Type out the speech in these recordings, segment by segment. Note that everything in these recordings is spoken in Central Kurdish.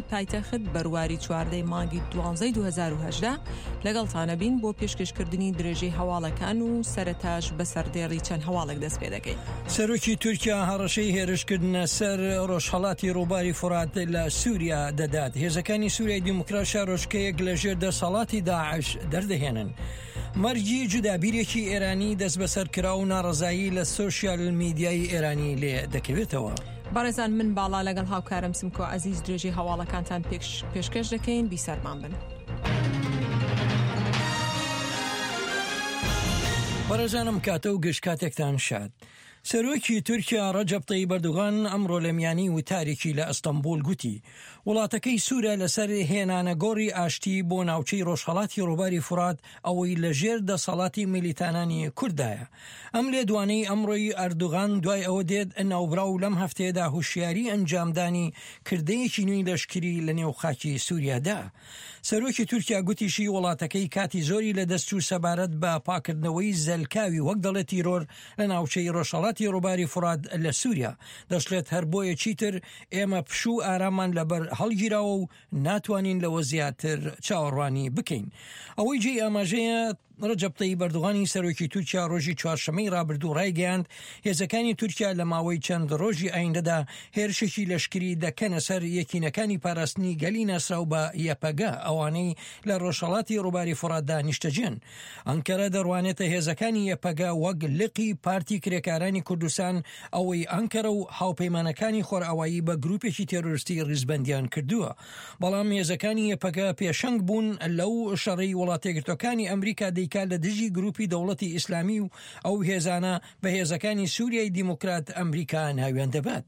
پایتەخت بەرواری 14 ی مانگی دوانزەی 2018 لەگەڵتانەبین بۆ پێشکەشکردنی درێژەی هەواڵەکان و سەرەتاش بە سەردێڕی چەند هەواڵێک دەست پێ دەکەین. سەرۆکی تورکیا هەڕەشەی هێرشکردنە سەر ڕۆژهەڵاتی ڕووباری فورات لە سووریا دەدات. هێزەکانی سووریای دیموکرات شارۆچکەیەک لە ژێر دەسەڵاتی داعش دەردەهێنن. مەرگی جودابیرێکی ئێرانی دەستبەسەرکراو و ناڕەزایی لە سۆشیال میدیای ئێرانی لێ دەکەوێتەوە. بەڕێزان من باڵا لەگەڵ هاوکارم سمکۆ عەزیز درێژەی هەواڵەکانتان پێشکەش دەکەین بیسەرمان بن. بەڕێزانم کاتە و گشت کاتێکتان شاد. سەرۆکی تورکیا ڕەجەب تەیب ئەردوغان ئەمڕۆ لە میانی وتارێکی لە ئەستەنبوڵ گوتی، وڵاتەکەی سوورە لەسەر هێنانەگۆڕی ئاشتی بۆ ناوچەی ڕۆژهەڵاتی ڕووباری فورات ئەوەی لە ژێر دەسەڵاتی میلیتانانی کورددایە. ئەم لێدوانەی ئەمڕۆی ئەردوغان دوای ئەوە دێت ناوبراو لەم هەفتەیەدا هوشیاری ئەنجامدانی کردەیەکی نوێی لەشکری لە نێو خاکی سووریا دا. سەرۆکی تورکیا گوتیشی وڵاتەکەی کاتی زۆری لەدەست چوو سەبارەت بە پاکردنەوەی زەلکاوی وەک دەڵێت تیرۆر لە ناوچەی ڕۆژهەڵاتی ڕووباری فورات لە سووریا. دەشڵێت هەر بۆیە چیتر ئێمە پشوو و ئارامان لەبەر هەڵگیراوە و ناتوانین لەوە زیاتر چاوەڕوانی بکەین. ئەوەی جێی ئاماژەیە، ڕەجەب تەیب ئەردوغانی سەرۆکی تورکیا ڕۆژی چوارشەممەی ڕابردوو ڕایگەیاند، هێزەکانی تورکیا لە ماوەی چەند ڕۆژی ئایندەدا هێرشێکی لەشکری دەکەنە سەر یەکینەکانی پاراستنی گەلی ناسراو بە یەپەگە، ئەوانەی لە ڕۆژهەڵاتی ڕووباری فوڕاتدا نیشتەجێن. ئەنکەرە دەڕوانێتە هێزەکانی یەپەگە وەک لقی پارتی کرێکارانی کوردستان، ئەوەی ئەنکەرە و هاوپەیمانەکانی خۆرئاوایی بە گروپێکی تێرۆرستی ڕیزبەندیان کردووە. بەڵام هێزەکانی یەپەگە پێشەنگ بوون لەو شەڕەی وڵاتەیەکگرتوەکانی ئەمریکا دەیکات لە دژی گروپی دەوڵەتی ئیسلامی و ئەو هێزانە بە هێزەکانی سوریای دیموکرات ئەمریکا ناویان دەبات.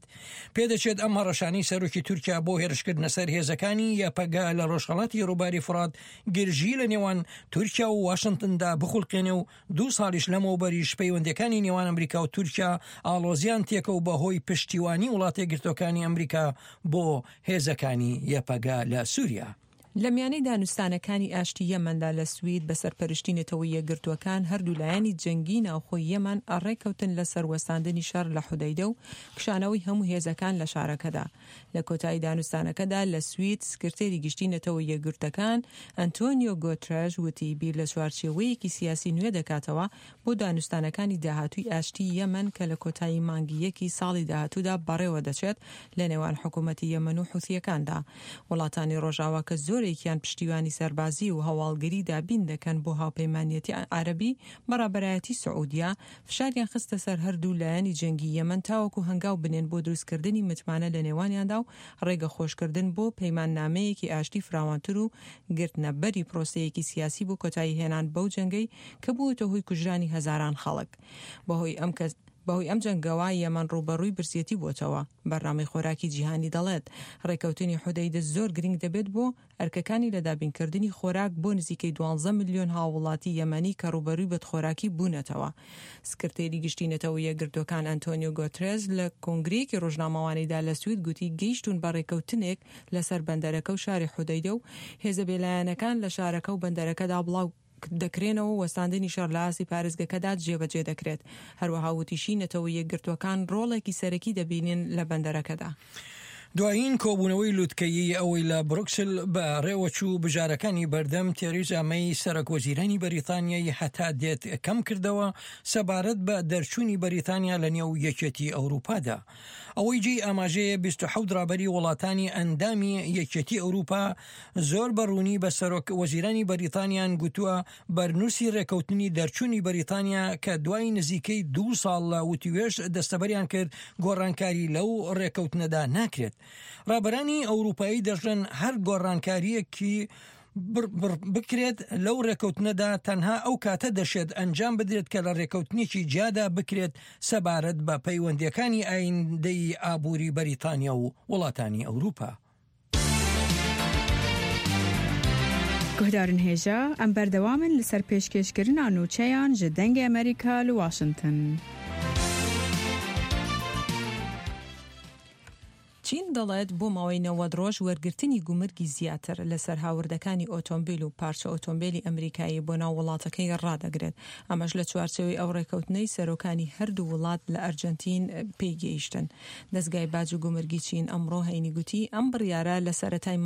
پێدەچێت ئەم هەڕەشانەی سەرۆکی تورکیا بۆ هێرشکردنە سەر هێزەکانی یەپەگە لە ڕۆژهەڵاتی ڕووباری فورات گرژی لە نێوان تورکیا و واشنتندا بخولقێنێ و دوو ساڵیش لەمەوبەریش پەیوەندیەکانی نێوان ئەمریکا و تورکیا ئاڵۆزیان تێکەو بەهۆی پشتیوانی وڵاتەیەکگرتوەکانی ئەمریکا بۆ هێزەکانی یەپەگە لە سوریا. لە میانەی دانوستانەکانی ئاشتی یەمەندا لە سوید بە سەرپەرشتی نەتەوە یەکگرتووەکان هەردوو لایەنی جەنگی ناوخۆی یەمەن ڕێککەوتن لەسەر وەستاندنی شەڕ لە حودەیدە و کشانەوەی هەموو هێزەکان لە شارەکەدا. لە کۆتایی دانوستانەکەدا لە سوید سکرتێری گشتی نەتەوە یەکگرتەکان ئەنتۆنیۆ گۆترێش وتی بیر لە چوارچێوەیەکی سیاسی نوێ دەکاتەوە بۆ دانوستانەکانی داهاتووی ئاشتی یەمەن کە لە کۆتایی مانگی یەکی ساڵی داهاتوودا بەڕێوە دەچێت لە نێوان حکوومەتی یەمەن و حوسییەکاندا. وڵاتانی ڕۆژاوا کە زۆرێکیان پشتیوانی سەربازی و هەواڵگری دابین دەکەن بۆ هاوپەیمانیەتی عەرەبی بە ڕابەرایەتی سعودیە، فشاریان خستە سەر هەردوو لایەنی جەنگی یەمەن تاوەکو هەنگاو بنێن بۆ دروستکردنی متمانە لە نێوانیاندا و ڕێگە خۆشکردن بۆ پەیماننامەیەکی ئاشتی فراوانتر و گرتنە بەری پرۆسەیەکی سیاسی بۆ کۆتایی هێنان بەو جەنگەی کە بووەتە هۆی کوژرانی هەزاران خەڵک. بەهۆی ئەم بەهۆی ئەم جەنگەوە یەمەن ڕووبەڕووی برسێتی بووەتەوە. بەرنامەی خۆراکی جیهانی دەڵێت، ڕێککەوتنی حودەیدە زۆر گرنگ دەبێت بۆ ئەرکەکانی لە دابینکردنی خۆراک بۆ نزیکەی دوانزە ملیۆن هاووڵاتی یەمەنی کە ڕووبەرووی بەدخۆراکی بوونەتەوە. سکرتێری گشتی نەتەوە یەکگرتووەکان ئەنتۆنیۆ گۆترێس لە کۆنگرەیەکی ڕۆژنامەوانیدا لە سوید گوتی گەیشتوون بە ڕێککەوتنێک لەسەر بەندەرەکە و شاری حودەیدە و هێزە بێلایەنەکان لە شارەکە و بەندەرەکەدا بڵاو دەکرێنەوە و وەستاندنی شەڕ لە ئاستی پارێزگەکەدا جێبەجێ دەکرێت. هەروەها وتیشی نەتەوە یەکگرتووەکان ڕۆڵێکی سەرەکی دەبینن لە بەندەرەکەدا. دوایین کۆبوونەوەی لوتکەیی ئەوەی لە بروکسل بەڕێوەچوو، بژارەکانی بەردەم تێریزا مەی سەرۆک وەزیرانی بەریتانیای هەتا دێت کەم کردەوە سەبارەت بە دەرچوونی بەریتانیا لە نێو یەکێتی ئەوروپادا. ئەوەی جێی ئاماژەیە 27 ڕابەری وڵاتانی ئەندامی یەکێتی ئەوروپا زۆر بە ڕوونی بە سەرۆک وەزیرانی بەریتانیان گوتووە بەرنووسی ڕێکەوتنی دەرچوونی بەریتانیا کە دوای نزیکەی دوو ساڵ لە وتوێژ دەستەبەریان کرد گۆڕانکاری لەو ڕێکەوتنەدا ناکرێت. ڕابەرانی ئەوروپایی دەشڵێن هەر گۆڕانکارییەکی بکرێت لەو ڕێکەوتنەدا تەنها ئەو کاتە دەشێت ئەنجام بدرێت کە لە ڕێکەوتنێکی جیادا بکرێت سەبارەت بە پەیوەندیەکانی ئایندەی ئابووری بەریتانیا و وڵاتانی ئەوروپا. گوهدارن هێژا، ئەم بەردەوامن لەسەر پێشکێشکردنا نوچەیان ژ دەنگێ ئەمریکا لە واشنتن. چین. دەڵێت بۆ ماوەی 90 ڕۆژ وەرگرتنی گومرگی زیاتر لەسەر هاوردەکانی ئۆتۆمبیل و پارچە ئۆتۆمبیلی ئەمریکایی بۆ ناو وڵاتەکەی ڕادەگرێت، ئەمەش لە چوارچێوەی ئەو ڕێکەوتنەی سەرۆکانی هەردوو وڵات لە ئەرجەنتین پێی گەیشتن. دەزگای باج و گومرگی چین ئەمڕۆ هەینی گوتی ئەم بڕیارە لە سەرەتای.